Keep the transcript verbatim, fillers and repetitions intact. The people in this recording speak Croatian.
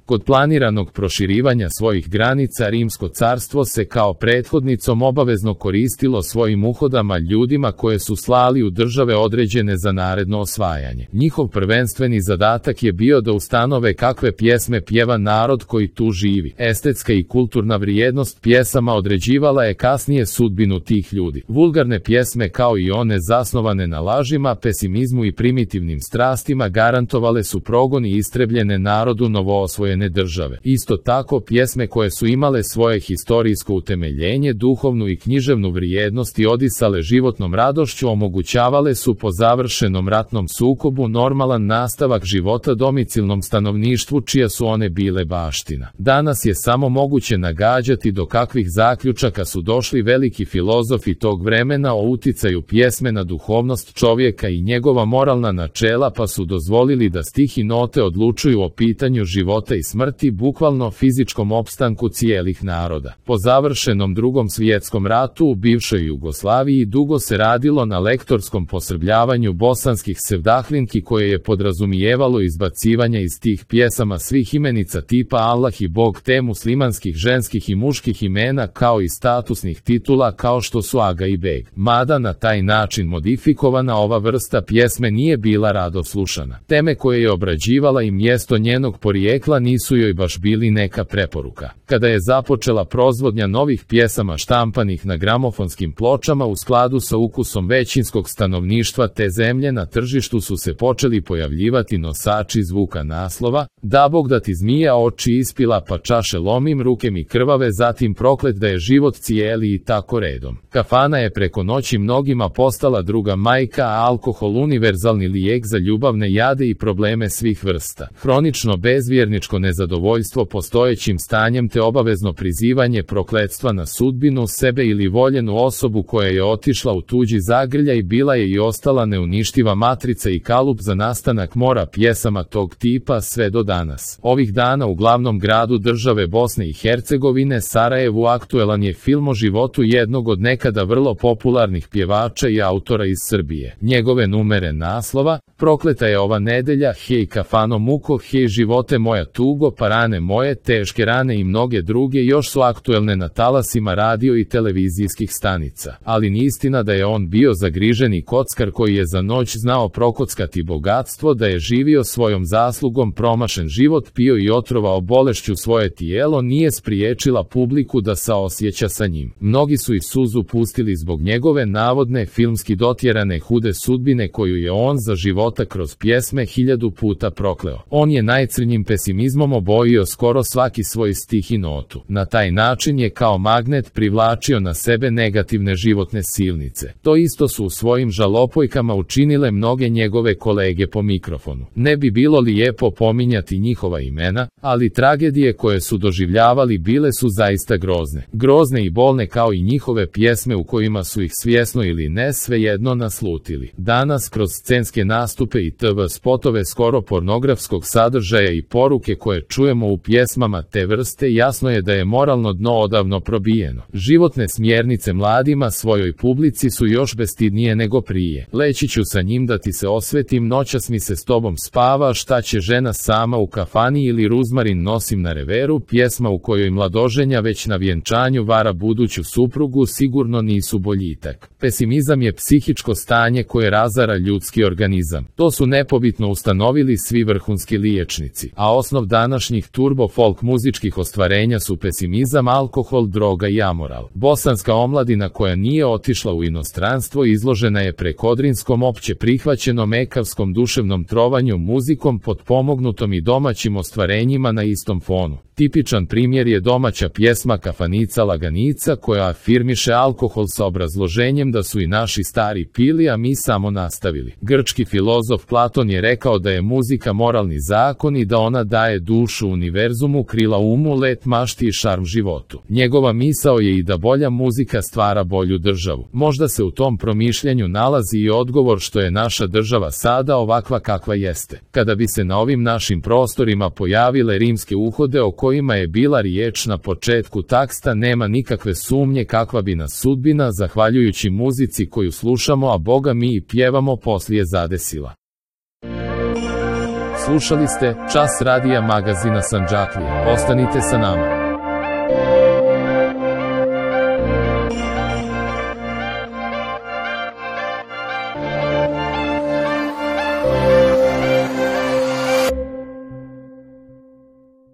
Kod planiranog proširivanja svojih granica Rimsko carstvo se kao prethodnicom obavezno koristilo svojim uhodama ljudima koje su slali u države određene za naredno osvajanje. Njihov prvenstveni zadatak je bio da ustanove kakve pjesme pjeva narod koji tu živi. Estetska i kulturna vrijednost pjesama određivala je kasnije sudbinu tih ljudi. Vulgarne pjesme kao i one zasnovane na lažima, pesimizmu i primitivnim strastima garantovale su progon i istrebljene narodu novoosvojene države. Isto tako pjesme koje su imale svoje historijsko utemeljenje, duhovnu i književnu vrijednost i odisale životnom radošću omogućavale su po završenom ratnom sukobu normalan nastavak života domicilnom stanovništvu čija su one bile baština. Danas je samo moguće nagađati do kakvih zaključaka su došli veliki filozofi tog vremena o uticaju pjesme na duhovnost čovjeka i njegova moralna načela, pa su dozvolili da stih i note odlučuju o pitanju života i smrti, bukvalno fizičkom opstanku cijelih naroda. Po završenom Drugom svjetskom ratu u bivšoj Jugoslaviji dugo se radilo na lektorskom posrbljavanju bosanskih sevdahlinki koje je podrazumijevalo izbacivanje iz tih pjesama svih imenica tipa Allah i Bog te muslimanskih ženskih i muških imena kao i statusnih titula kao što su Aga i Beg. Mada na taj način modifikovana ova vrsta pjesme nije bila rado slušana. Teme koje je obrađivala i mjesto njenog porijekla nisu joj baš bili neka preporuka. Kada je započela proizvodnja novih pjesama štampanih na gramofonskim pločama u skladu sa ukusom većinskog stanovništva te zemlje, na tržištu su se počeli pojavljivati nosači zvuka naslova Da Bog da ti zmija oči ispila pa čaše lomim, ruke mi krvave, zatim proklet da je život cijeli i tako redom. Kafana je preko noći mnogima postala druga majka, a alkohol univerzalni lijek za ljubavne jade i probleme svih vrsta. Hronično bezvjerničko nezadovoljstvo postojećim stanjem te obavezno prizivanje prokletstva na sudbinu, sebe ili voljenu osobu koja je otišla u tuđi zagrljaj bila je i ostala neuništiva matrica i kalup za nastanak mora pjesama tog tipa sve do danas. Ovih dana u glavnom gradu države Bosne i Hercegovine, Sarajevu, aktuelan je film o životu jednog od nekada vrlo popularnih pjevača i autora iz Srbije. Njegove numere naslova Prokleta je ova nedelja, Hej kafano muko, hej živote moja tugo, pa rane moje, teške rane i mnoge druge još su aktuelne na talasima radio i televizijskih stanica. Ali ni istina da je on bio zagriženi kockar koji je za noć znao prokockati bogatstvo, da je živio svojom zaslugom promašen život, pio i otrovao bolešću svoje tijelo, nije spriječila publiku da saosjeća sa njim. Mnogi su i suzu pustili zbog njegove navodne filmski dotjerane hude sudbine koju je on za života kroz pjesme hiljadu puta prokleo. On je najcrnjim pesimizmom obojio skoro svaki svoj stih i notu. Na taj način je kao magnet privlačio na sebe negativne životne silnice. To isto su u svojim žalopojkama učinile mnoge njegove kolege po mikrofonu. Ne bi bilo lijepo pominjati njihova imena, ali tragedije koje su doživljavali bile su zaista grozne. Grozne i bolne kao i njihove pjesme u kojima su ih svjesno ili ne svejedno naslutili. Danas kroz scenske nastupe i te ve spotove skoro pornografskog sadržaja i poruke koje čujemo u pjesmama te vrste, jasno je da je moralno dno odavno probijeno. Životne smjernice mladima svojoj publici su još bestidnije nego prije. Leći ću sa njim da ti se osvetim, noćas mi se s tobom spava, šta će žena sama u kafani ili ruzmarin nosim na reveru, pjesma u kojoj mladoženja već na vjenčanju vara buduću suprugu sigurno nisu boljitak. Pesimizam je psihičko stanje koje razara ljudski organizam. To su nepobitno ustanovili svi vrhunski liječnici, a osnov današnjih turbo folk muzičkih ostvarenja su pesimizam, alkohol, droga i amoral. Bosanska omladina koja nije otišla u inostranstvo izložena je prekodrinskom opće prihvaćenom ekavskom duševnom trovanju muzikom potpomognutom i domaćim ostvarenjima na istom fonu. Tipičan primjer je domaća pjesma Kafanica laganica koja afirmiše alkohol sa obrazloženjem da su i naši stari pili, a mi samo nastavili. Grčki filozof Platon je rekao da je muzika moralni zakon i da ona daje dušu univerzumu, krila umu, let mašti i šarm životu. Njegova misao je i da bolja muzika stvara bolju državu. Možda se u tom promišljanju nalazi i odgovor što je naša država sada ovakva kakva jeste. Kada bi se na ovim našim prostorima pojavile rimske uhode o kojima je bila riječ na početku teksta, nema nikakve sumnje kakva bi nas sudbina, zahvaljujući muzici koju slušamo, a Boga mi i pjevamo, poslije zadesila. Slušali ste Čas radija magazina Sandžaklije. Ostanite sa nama.